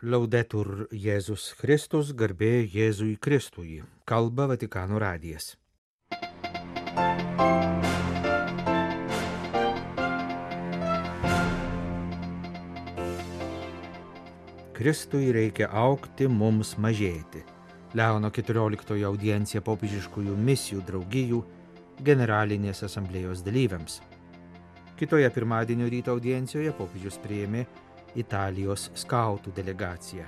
Laudetur Jėzus Kristus, garbė Jėzui Kristui. Kalba Vatikano radijas. Kristui reikia augti, mums mažėti. Leono 14 audiencija popiežiškųjų misijų draugijų generalinės asamblėjos dalyviams. Kitoje pirmadienio ryto audiencijoje popiežius priėmė Italijos skautų delegaciją.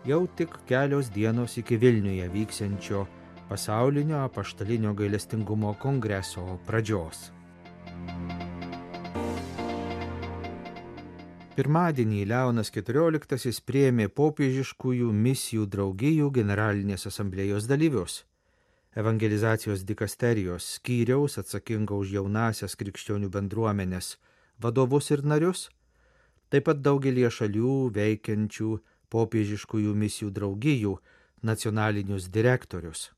Jau tik kelios dienos iki Vilniuje vyksiančio pasaulinio apaštalinio gailestingumo kongreso pradžios. Pirmadienį Leonas XIV priėmė popiežiškųjų misijų draugijų generalinės asamblėjos dalyvius. Evangelizacijos dikasterijos skyriaus atsakingo už jaunasias krikščionių bendruomenės vadovus ir narius, taip pat daugelie šalių veikiančių popiežiškųjų misijų draugijų nacionalinius direktorius.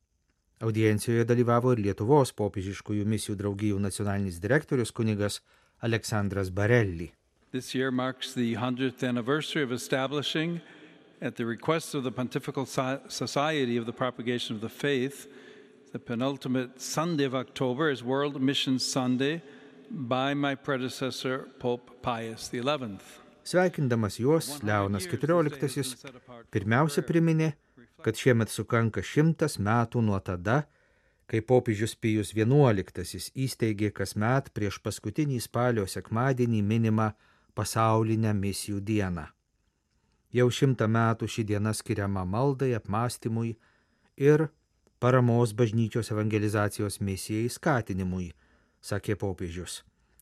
Audiencijoje dalyvavo ir Lietuvos popiežiškųjų misijų draugijų nacionalinis direktorius kunigas Aleksandras Barelli. This year marks the 100th anniversary of establishing, at the request of the Pontifical Society of the Propagation of the Faith, the penultimate Sunday of October as World Missions Sunday by my predecessor, Pope Pius XI. Sveikindamas juos, Leonas XIV pirmiausia priminė, kad šiemet sukanka 100 metų nuo tada, kai popiežius Pijus XI įsteigė kasmet prieš paskutinį spalio sekmadienį minimą pasaulinę misijų dieną. Jau 100 metų ši diena skiriama maldai, apmąstymui ir paramos bažnyčios evangelizacijos misijai skatinimui, sakė popiežius.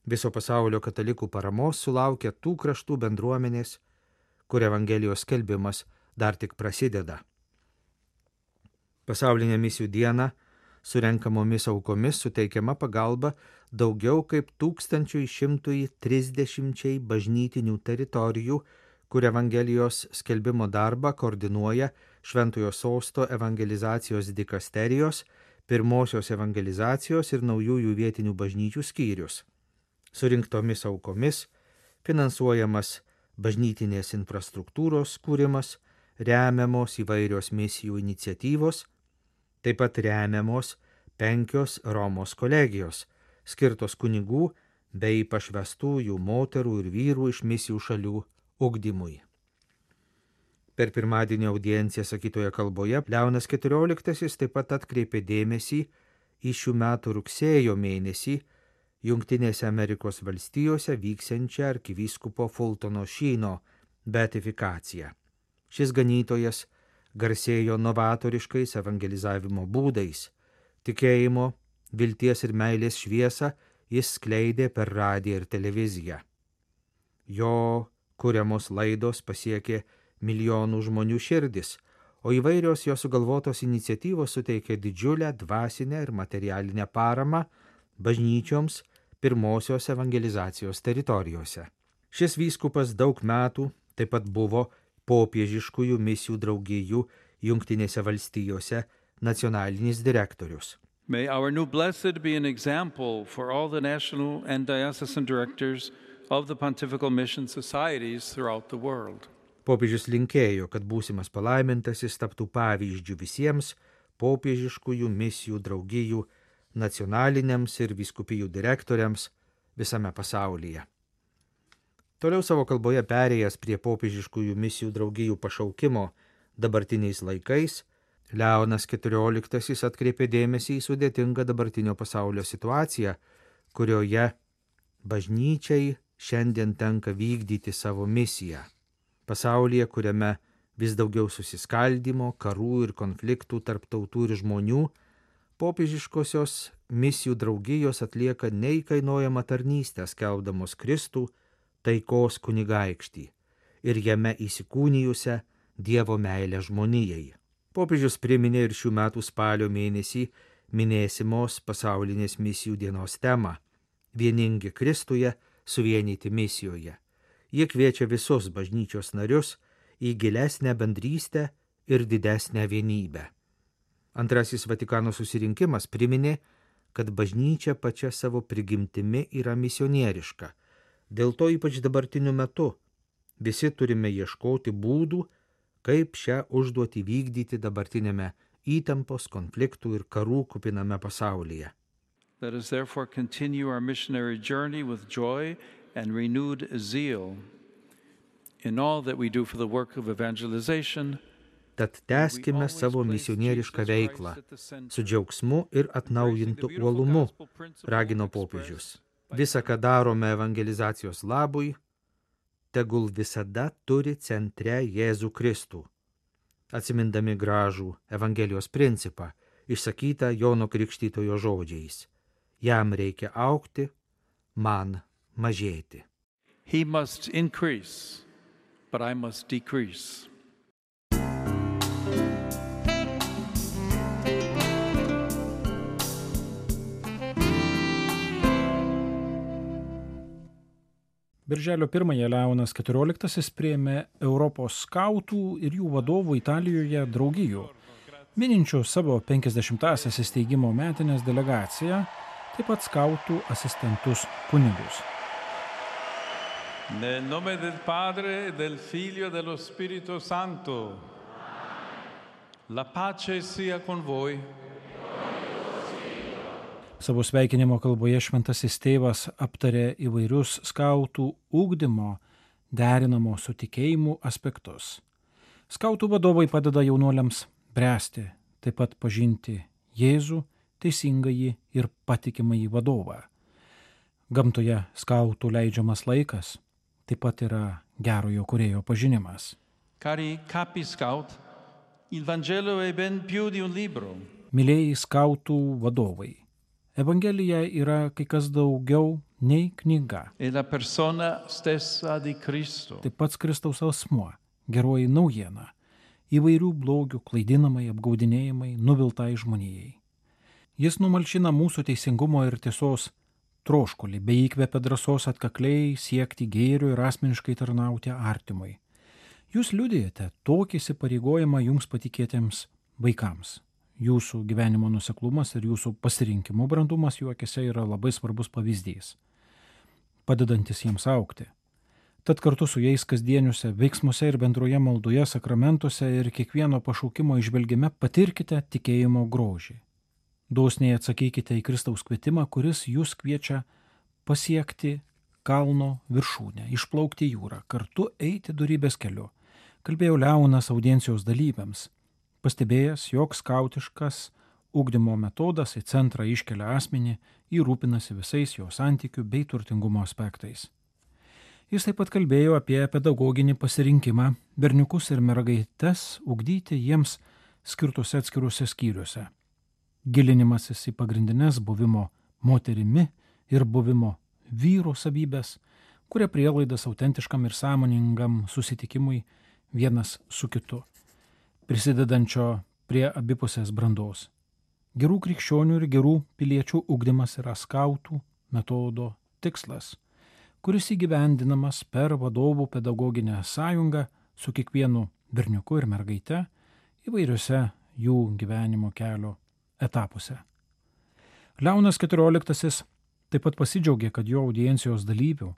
Viso pasaulio katalikų paramos sulaukia tų kraštų bendruomenės, kur evangelijos skelbimas dar tik prasideda. Pasaulinė misijų diena surenkamomis aukomis suteikiama pagalba daugiau kaip 1130 bažnytinių teritorijų, kur evangelijos skelbimo darbą koordinuoja Šventojo Sosto evangelizacijos dikasterijos, pirmosios evangelizacijos ir naujųjų vietinių bažnyčių skyrius. Surinktomis aukomis finansuojamas bažnytinės infrastruktūros kūrimas, remiamos įvairios misijų iniciatyvos, taip pat remiamos 5 Romos kolegijos, skirtos kunigų bei pašvestųjų moterų ir vyrų iš misijų šalių ugdymui. Per pirmadienio audienciją sakytoje kalboje Leonas XIV taip pat atkreipė dėmesį į šių metų rugsėjo mėnesį Jungtinėse Amerikos valstijose vyksiančią arkivyskupo Fultono Šyno beatifikaciją. Šis ganytojas garsėjo novatoriškais evangelizavimo būdais. Tikėjimo, vilties ir meilės šviesą jis skleidė per radiją ir televiziją. Jo kuriamos laidos pasiekė milijonų žmonių širdis, o įvairios jo sugalvotos iniciatyvos suteikė didžiulę dvasinę ir materialinę paramą bažnyčioms pirmosios evangelizacijos teritorijose. Šis vyskupas daug metų taip pat buvo popiežiškųjų misijų draugijų Jungtinėse valstijose nacionalinis direktorius. May our new blessed be an example for all the national and diocesan directors of the pontifical mission societies throughout the world. Popiežius linkėjo, kad būsimas palaimintasis taptų pavyzdžių visiems popiežiškųjų misijų draugijų nacionaliniams ir vyskupijų direktoriams visame pasaulyje. Toliau savo kalboje perėjęs prie popiežiškųjų misijų draugijų pašaukimo dabartiniais laikais, Leonas XIV atkreipė dėmesį į sudėtingą dabartinio pasaulio situaciją, kurioje bažnyčiai šiandien tenka vykdyti savo misiją. Pasaulyje, kuriame vis daugiau susiskaldymo, karų ir konfliktų tarp tautų ir žmonių, popiežiškosios misijų draugijos atlieka neįkainojamą tarnystę skelbdamos Kristų taikos kunigaikštį ir jame įsikūnijusią Dievo meilę žmonijai. Popiežius priminė ir šių metų spalio mėnesį minėsimos pasaulinės misijų dienos temą – vieningi Kristuje, suvienyti misijoje. Jie kviečia visus bažnyčios narius į gilesnę bendrystę ir didesnę vienybę. Antrasis Vatikano susirinkimas priminė, kad bažnyčia pačia savo prigimtimi yra misionieriška. Dėl to ypač dabartiniu metu Visi turime ieškoti būdų, kaip šią užduotį vykdyti dabartinėme įtampos, konfliktų ir karų kupiname pasaulyje. Let us therefore continue our missionary journey with joy and renewed zeal in all that we do for the work of evangelization. Tad tęskime savo misionierišką veiklą su džiaugsmu ir atnaujintu uolumu, ragino popiežius. Visa, ką darome evangelizacijos labui, tegul visada turi centre Jėzų Kristų. Atsimindami gražų Evangelijos principą, išsakytą Jono Krikštytojo žodžiais. Jam reikia augti, man mažėti. He must increase, but I must decrease. Birželio 1 Leonas XIV priėmė Europos skautų ir jų vadovų Italijoje draugijų, mininčių savo 50-asias įsteigimo metinės delegaciją, taip pat skautų asistentus kunigus. Nel nome del Padre, del Figlio e dello Spirito Santo. La pace sia con voi. Savo sveikinimo kalboje šventasis tėvas aptarė įvairius skautų ugdymo, derinamo su tikėjimu aspektus. Skautų vadovai padeda jaunuoliams bręsti, taip pat pažinti Jėzų, teisingąjį ir patikimąjį vadovą. Gamtoje skautų leidžiamas laikas taip pat yra gerojo kūrėjo pažinimas. Cari capi scout, il Vangelo è ben più di un libro. Mylėjai skautų vadovai, Evangelija yra kai kas daugiau nei knyga. È la persona stessa di Cristo. Tai pats Kristaus asmuo, geroji naujiena, įvairių blogių klaidinamai, apgaudinėjimai, nuviltai žmonijai. Jis numalšina mūsų teisingumo ir tiesos troškulį, bei įkvepia drąsos atkakliai siekti gėrio ir asmeniškai tarnauti artimui. Jūs liudijate tokį įsipareigojimą jums patikėtiems vaikams. Jūsų gyvenimo nuoseklumas ir jūsų pasirinkimų brandumas jų akise yra labai svarbus pavyzdys, padedantis jiems augti. Tad kartu su jais kasdieniuose veiksmuose ir bendroje maldoje, sakramentuose ir kiekvieno pašaukimo išvelgime patirkite tikėjimo grožį. Dosniai atsakykite į Kristaus kvietimą, kuris jūs kviečia pasiekti kalno viršūnę, išplaukti jūrą, kartu eiti dorybės keliu, kalbėjo Leonas audiencijos dalyviams, pastebėjęs, jog skautiškas ugdymo metodas į centrą iškelia asmenį, rūpinasi visais jo santykių bei turtingumo aspektais. Jis taip pat kalbėjo apie pedagoginį pasirinkimą berniukus ir mergaites ugdyti jiems skirtuose atskiruose skyriuose. Gilinimasis į pagrindinės buvimo moterimi ir buvimo vyro savybės, kuria prielaidas autentiškam ir sąmoningam susitikimui vienas su kitu, prisidedančio prie abipusės brandos. Gerų krikščionių ir gerų piliečių ugdymas yra skautų metodo tikslas, kuris įgyvendinamas per vadovų pedagoginę sąjungą su kiekvienu berniuku ir mergaite įvairiuose jų gyvenimo kelio etapuose. Leonas XIV taip pat pasidžiaugė, kad jo audiencijos dalyvių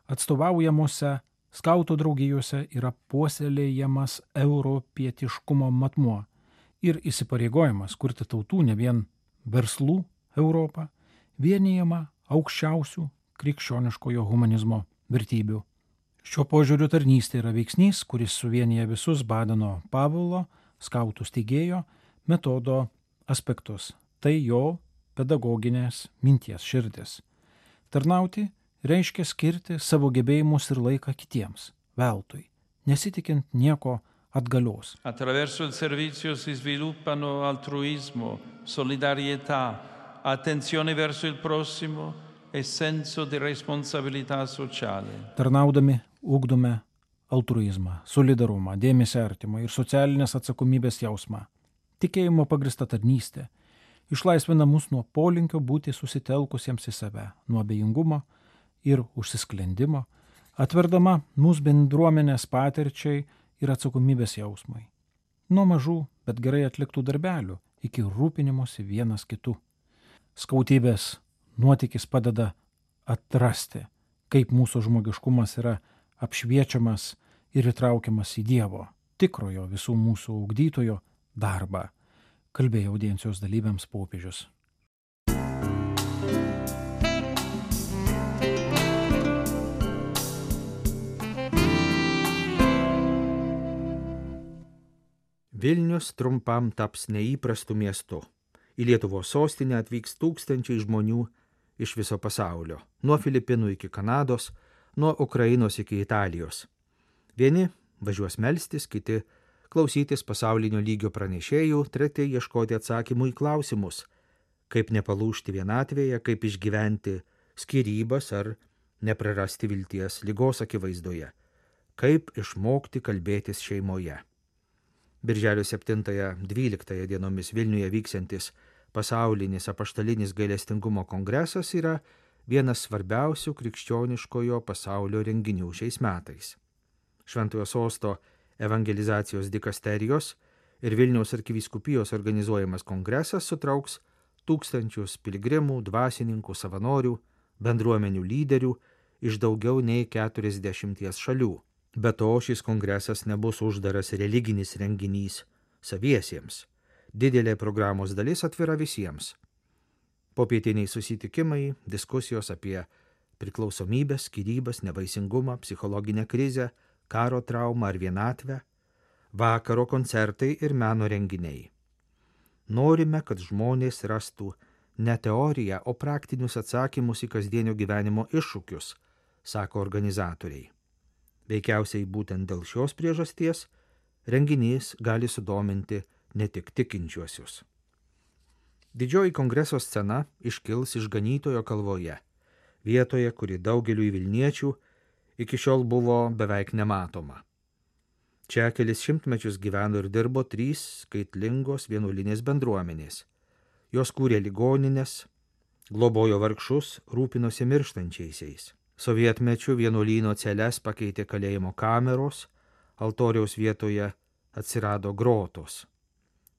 atstovaujamuose skautų draugijose yra puoselėjamas europietiškumo matmuo ir įsipareigojimas kurti tautų ne vien verslų Europą, vienijama aukščiausių krikščioniškojo humanizmo vertybių. Šiuo požiūriu tarnystė yra veiksnys, kuris suvienyje visus Badeno Pavelo, skautų steigėjo, metodo aspektus. Tai jo pedagoginės minties širdis. Tarnauti reiškia skirti savo gebėjimus ir laiką kitiems, veltui, nesitikint nieko atgalios. Attraverso il servizio si sviluppano altruismo, solidarietà, attenzione verso il prossimo e senso di responsabilità sociale. Tarnaudami ugdome altruizmą, solidarumą, dėmesį artimą ir socialinės atsakomybės jausmą. Tikėjimo pagrįsta tarnystė išlaisvina mus nuo polinkio būti susitelkusiems į save, nuo abejingumo ir užsisklendimo, atverdama mūsų bendruomenės patirčiai ir atsakomybės jausmai. Nuo mažų, bet gerai atliktų darbelių iki rūpinimosi vienas kitu. Skautybės nuotykis padeda atrasti, kaip mūsų žmogiškumas yra apšviečiamas ir įtraukiamas į Dievo, tikrojo visų mūsų ugdytojo darbą, kalbėjo audiencijos dalyviams popiežius. Vilnius trumpam taps neįprastu miestu. Į Lietuvos sostinę atvyks tūkstančiai žmonių iš viso pasaulio, nuo Filipinų iki Kanados, nuo Ukrainos iki Italijos. Vieni važiuos melstis, kiti klausytis pasaulinio lygio pranešėjų, treti ieškoti atsakymų į klausimus, kaip nepalūžti vienatvėje, kaip išgyventi skyrybas ar neprarasti vilties ligos akivaizdoje, kaip išmokti kalbėtis šeimoje. Birželio 7-12 dienomis Vilniuje vyksiantis pasaulinis apaštalinis gailestingumo kongresas yra vienas svarbiausių krikščioniškojo pasaulio renginių šiais metais. Šventojo sosto evangelizacijos dikasterijos ir Vilniaus arkivyskupijos organizuojamas kongresas sutrauks tūkstančius piligrimų, dvasininkų, savanorių, bendruomenių lyderių iš daugiau nei 40 šalių. Be to, šis kongresas nebus uždaras religinis renginys saviesiems. Didelė programos dalis atvira visiems. Popietiniai susitikimai, diskusijos apie priklausomybės, skyrybas, nevaisingumą, psichologinę krizę, karo traumą ar vienatvę, vakaro koncertai ir meno renginiai. Norime, kad žmonės rastų ne teoriją, o praktinius atsakymus į kasdienio gyvenimo iššūkius, sako organizatoriai. Veikiausiai būtent dėl šios priežasties renginys gali sudominti ne tik tikinčiuosius. Didžioji kongreso scena iškils Išganytojo kalvoje, vietoje, kuri daugeliui vilniečių iki šiol buvo beveik nematoma. Čia kelis šimtmečius gyveno ir dirbo 3 skaitlingos vienuolinės bendruomenės. Jos kūrė ligonines, globojo vargšus, rūpinosi mirštančiaisiais. Sovietmečiu vienuolyno celes pakeitė kalėjimo kameros, altoriaus vietoje atsirado grotos.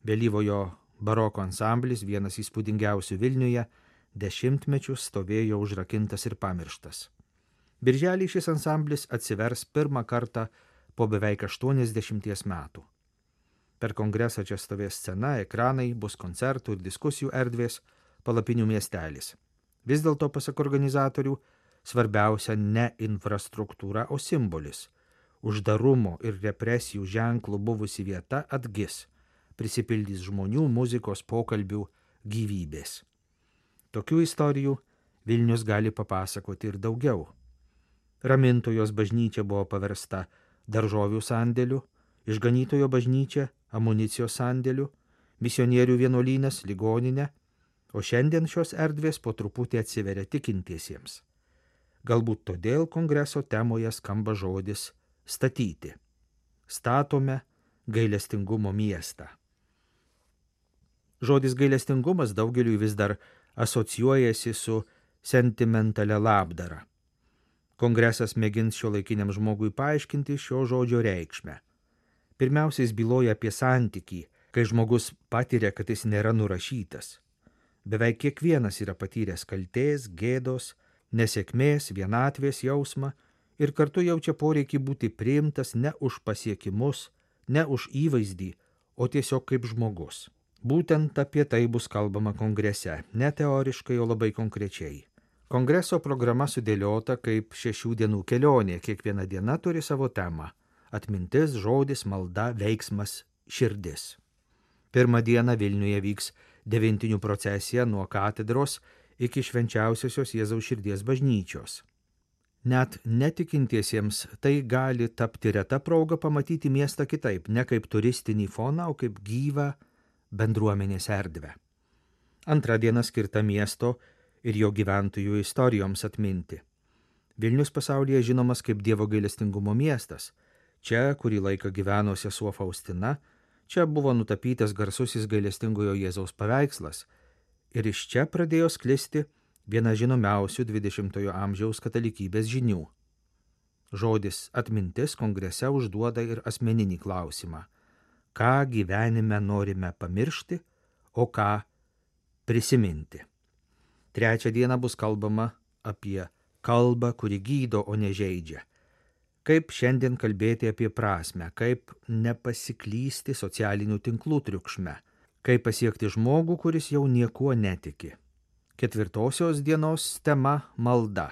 Vėlyvojo baroko ansamblis, vienas įspūdingiausių Vilniuje, 10 mečius stovėjo užrakintas ir pamirštas. Birželį šis ansamblis atsivers pirmą kartą po beveik 80 metų. Per kongresą čia stovės scena, ekranai, bus koncertų ir diskusijų erdvės, palapinių miestelis. Vis dėlto, pasak organizatorių, svarbiausia ne infrastruktūra, o simbolis. Uždarumo ir represijų ženklų buvusi vieta atgis, prisipildys žmonių, muzikos, pokalbių, gyvybės. Tokių istorijų Vilnius gali papasakoti ir daugiau. Ramintojos bažnyčia buvo paversta daržovių sandėliu, Išganytojo bažnyčia amunicijos sandėliu, misionierių vienuolynas ligoninė, o šiandien šios erdvės po truputį atsiveria tikintiesiems. Galbūt todėl kongreso temoje skamba žodis statyti. Statome gailestingumo miestą. Žodis gailestingumas daugeliui vis dar asocijuojasi su sentimentalia labdara. Kongresas mėgins šiuolaikiniam žmogui paaiškinti šio žodžio reikšmę. Pirmiausia, jis byloja apie santykį, kai žmogus patiria, kad jis nėra nurašytas. Beveik kiekvienas yra patyręs kaltės, gėdos, nesėkmės, vienatvės jausmą ir kartu jaučia poreikį būti priimtas ne už pasiekimus, ne už įvaizdį, o tiesiog kaip žmogus. Būtent apie tai bus kalbama kongrese, ne teoriškai, o labai konkrečiai. Kongreso programa sudėliota kaip 6 dienų kelionė, kiekviena diena turi savo temą – atmintis, žodis, malda, veiksmas, širdis. Pirmą dieną Vilniuje vyks 9 procesija nuo katedros iki švenčiausiosios Jėzaus širdies bažnyčios. Net netikintiesiems tai gali tapti reta proga pamatyti miestą kitaip, ne kaip turistinį foną, o kaip gyvą bendruomenės erdvę. Antra diena skirta miesto ir jo gyventojų istorijoms atminti. Vilnius pasaulyje žinomas kaip Dievo gailestingumo miestas. Čia, kurį laiką gyveno sesuo Faustina, čia buvo nutapytas garsusis gailestingojo Jėzaus paveikslas ir iš čia pradėjo sklisti viena žinomiausių 20-ojo amžiaus katalikybės žinių. Žodis atmintis kongrese užduoda ir asmeninį klausimą. Ką gyvenime norime pamiršti, o ką prisiminti. Trečią dieną bus kalbama apie kalbą, kuri gydo, o ne žeidžia. Kaip šiandien kalbėti apie prasmę, kaip nepasiklysti socialinių tinklų triukšme, kaip pasiekti žmogų, kuris jau niekuo netiki. 4 dienos tema – malda.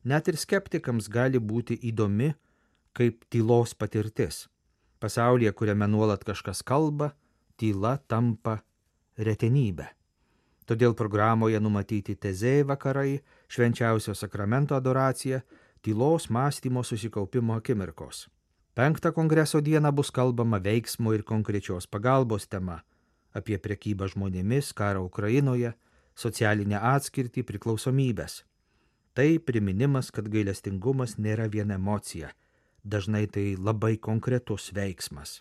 Net ir skeptikams gali būti įdomi kaip tylos patirtis. Pasaulyje, kuriame nuolat kažkas kalba, tyla tampa retenybė. Todėl programoje numatyti tezė vakarai, švenčiausio sakramento adoracija, tylos mąstymo susikaupimo akimirkos. 5 kongreso dieną bus kalbama veiksmo ir konkrečios pagalbos tema apie prekybą žmonėmis, karą Ukrainoje, socialinę atskirtį, priklausomybės. Tai priminimas, kad gailestingumas nėra viena emocija, dažnai tai labai konkretus veiksmas.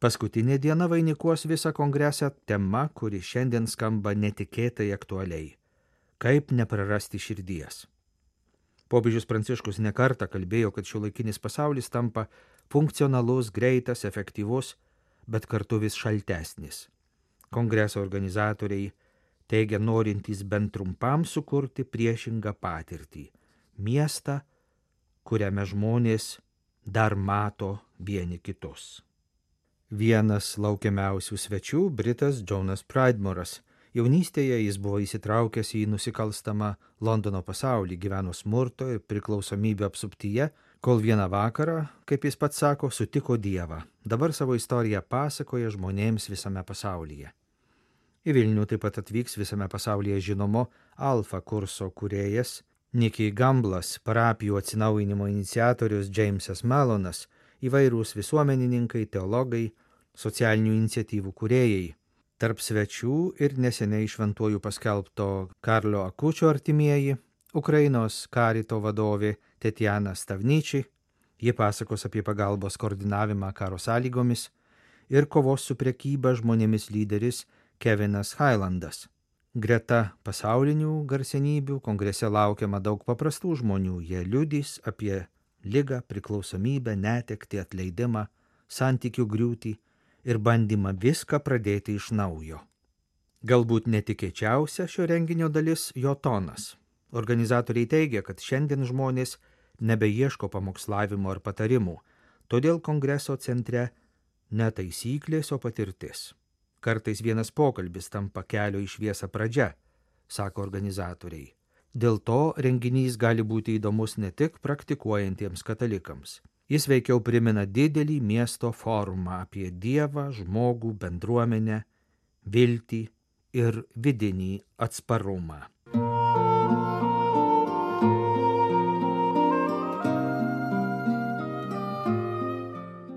Paskutinė diena vainikuos visą kongresą tema, kuri šiandien skamba netikėtai aktualiai – kaip neprarasti širdies. Popiežius Pranciškus nekartą kalbėjo, kad šiuolaikinis pasaulis tampa funkcionalus, greitas, efektyvus, bet kartu vis šaltesnis. Kongreso organizatoriai teigia norintys bent trumpam sukurti priešingą patirtį – miestą, kuriame žmonės dar mato vieni kitus. Vienas laukiamiausių svečių – britas Jonas Pridemore'as. Jaunystėje jis buvo įsitraukęs į nusikalstamą Londono pasaulį, gyveno smurto ir priklausomybę apsuptyje, kol vieną vakarą, kaip jis pats sako, sutiko Dievą. Dabar savo istoriją pasakoja žmonėms visame pasaulyje. Į Vilnių taip pat atvyks visame pasaulyje žinomo Alfa kurso kūrėjas Nicky Gamblas, parapijų atsinaujinimo iniciatorius Jamesas Malonas, įvairūs visuomenininkai, teologai, socialinių iniciatyvų kūrėjai. Tarp svečių ir neseniai šventuoju paskelbto Karlo Akučio artimieji, Ukrainos karito vadovė Tetjana Stavničiai, ji pasakos apie pagalbos koordinavimą karo sąlygomis, ir kovos su prekyba žmonėmis lyderis Kevinas Hailandas. Greta pasaulinių garsenybių kongrese laukiama daug paprastų žmonių, jie liudys apie ligą, priklausomybę, netektį, atleidimą, santykių griūtį ir bandymą viską pradėti iš naujo. Galbūt netikėčiausia šio renginio dalis jo tonas. Organizatoriai teigia, kad šiandien žmonės nebeieško pamokslavimo ar patarimų, todėl kongreso centre ne taisyklės, o patirtis. Kartais vienas pokalbis tampa kelio į šviesą pradžia, sako organizatoriai. Dėl to renginys gali būti įdomus ne tik praktikuojantiems katalikams. Jis veikiau primena didelį miesto forumą apie Dievą, žmogų, bendruomenę, viltį ir vidinį atsparumą.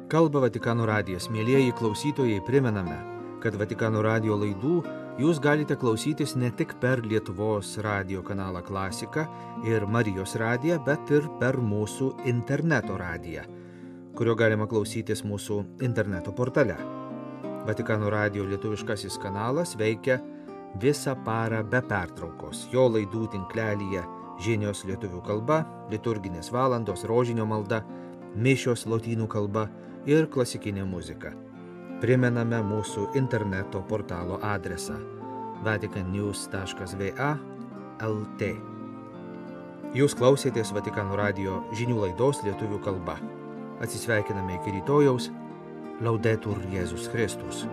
Kalba Vatikano radijas. Mielieji klausytojai, primename, kad Vatikano radijo laidų jūs galite klausytis ne tik per Lietuvos radijo kanalą Klasika ir Marijos radiją, bet ir per mūsų interneto radiją, kurio galima klausytis mūsų interneto portale. Vatikano radijo lietuviškasis kanalas veikia visą parą be pertraukos. Jo laidų tinklelyje žinios lietuvių kalba, liturginės valandos, rožinio malda, mišios lotynų kalba ir klasikinė muzika. Primename mūsų interneto portalo adresą vaticannews.va/lt. Jūs klausėtės Vatikano radijo žinių laidos lietuvių kalba. Atsisveikiname iki rytojaus. Laudetur Jėzus Kristus.